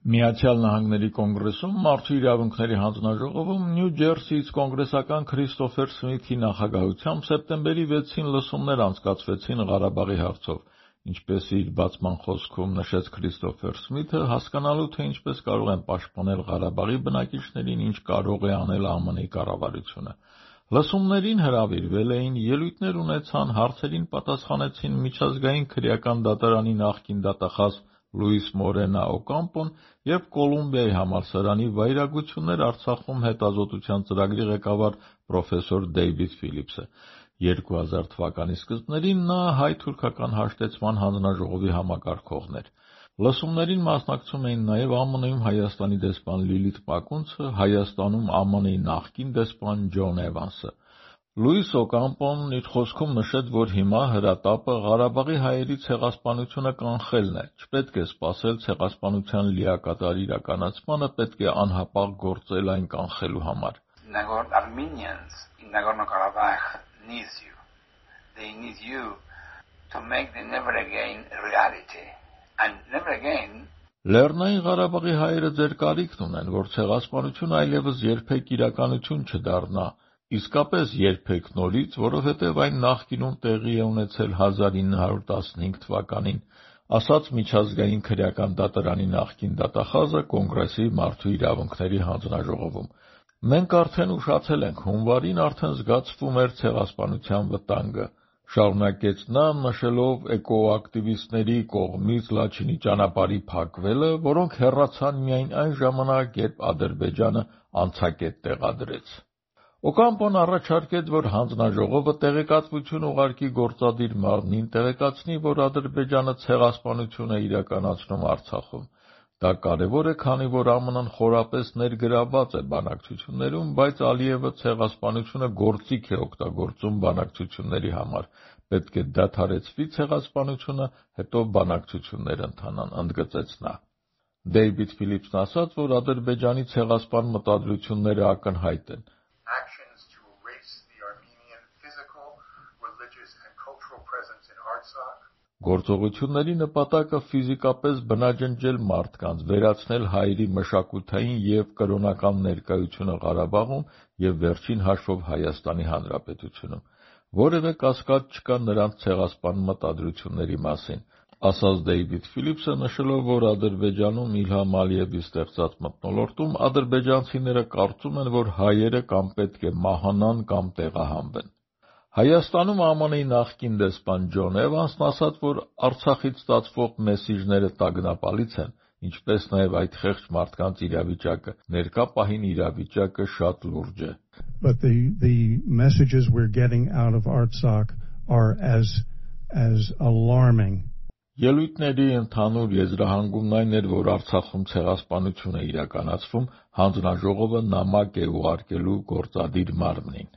Միացյալ Նահանգների կոնգրեսում Մարդու իրավունքների հանձնաժողովում Նյու Ջերսիից կոնգրեսական Քրիստոֆեր Սմիթի նախագահությամբ սեպտեմբերի 6-ին լսումներ անցկացվեցին Ղարաբաղի հարցով, ինչպես իր բացման խոսքում նշեց Քրիստոֆեր Սմիթը, հասկանալու թե ինչպես կարող են պաշտպանել Ղարաբաղի բնակիչներին, ինչ կարող է անել ԱՄՆ-ի կառավարությունը։ Լսումներին հրավիրվել էին, ելույթներ ունեցան, հարցերին պատասխանեցին Միջազգային քրեական դատարանի նախկին դատախազ Լուիս Մորենա Օկամպոն և Կոլումբիայի համալսարանի Վայրագություններ Արցախում հետազոտության ծրագրի ղեկավար պրոֆեսոր Դեյվիդ Ֆիլիպսը։ 2000 թվականի սկզբներին նա հայ-թուրքական հաշտեցման հանձնաժողովի համակարգողն էր։ Լսումներին մասնակցում էին նաև ԱՄՆ-ում Հայաստանի դեսպան Լիլիթ Մակունցը, Հայաստանում ԱՄՆ-ի նախկին դեսպան Ջոն Էվանսը։ Լուիս Օկամպոն իր խոսքում նշեց, որ հիմա հրատապը Ղարաբաղի հայերի ցեղասպանությունը կանխելն է, չպետք է սպասել ցեղասպանության լիակատար իրականացմանը, պետք է անհապաղ գործել այն կանխելու համար։ Armenians in Nagorno-Karabakh needs you. They need you to make the never again a reality. And never again Լեռնային Ղարաբաղի հայերը ձեր կարիքն ունեն, որ ցեղասպանությունը այլևս երբեք իրականություն չդառնա, իսկապես երբեք նորից, որովհետև այն նախկինում տեղի է ունեցել 1915 թվականին, ասաց Միջազգային քրեական դատարանի նախկին դատախազը Կոնգրեսի Մարդու իրավունքների հանձնաժողովում։ Մենք արդեն ուշացել ենք, հունվարին արդեն զգացվում էր ցեղասպանության վտանգը, շարունակեց նա, նշելով էկոակտիվիստների կողմից Լաչինի ճանապարհի փակվելը, որոնք հեռացան միայն այն ժամանակ, երբ Ադրբեջանը անցակետ տեղադրեց։ Օկամպոն առաջարկեց, որ հանձնաժողովը տեղեկատվություն ուղարկի գործադիր մարմնին, տեղեկացնի, որ Ադրբեջանը ցեղասպանություն է իրականացնում Արցախում։ Դա կարևոր է, քանի որ ԱՄՆ-ն խորապես ներգրավված է բանակցություններում, բայց Ալիևը ցեղասպանությունը գործիք է օգտագործում բանակցությունների համար։ Պետք է դադարեցվի ցեղասպանությունը, հետո բանակցություններ ընթանան, ընդգծեց նա։ Դեյվիդ Ֆիլիպսն ասաց, որ Ադրբեջանի ցեղասպան մտադրությունները ակնհայտ են։ Actions to erase the Armenian physical, religious and cultural presence in Artsakh. Գործողությունների նպատակը ֆիզիկապես բնաջնջել մարդկանց, վերացնել հայերի մշակութային և կրոնական ներկայությունը Ղարաբաղում և վերջին հաշվով Հայաստանի Հանրապետությունում։ Որևէ կասկած չկա նրանց ցեղասպան մտադրությունների մասին, ասաց Դեյվիդ Ֆիլիպսը, նշելով, որ Ադրբեջանում Իլհամ Ալիևի ստեղծած մթնոլորտում ադրբեջանցիները կարծում են, որ հայերը կամ պետք է մահանան կամ տեղահանվեն։ Հայաստանում ԱՄՆ-ի նախկին դեսպան Ջոն Էվանսն ասաց, որ Արցախից ստացվող մեսիջները տագնապալից են, ինչպես նաև այդ խեղճ մարդկանց իրավիճակը, ներկա պահին իրավիճակը շատ լուրջ է։ But the messages we're getting out of Artsakh are as alarming. Ելույթների ընդհանուր եզրահանգումն այն էր, որ Արցախում ցեղասպանություն է իրականացվում, հանձնաժողովը նամակ է ուղարկելու գործադիր մարմնին։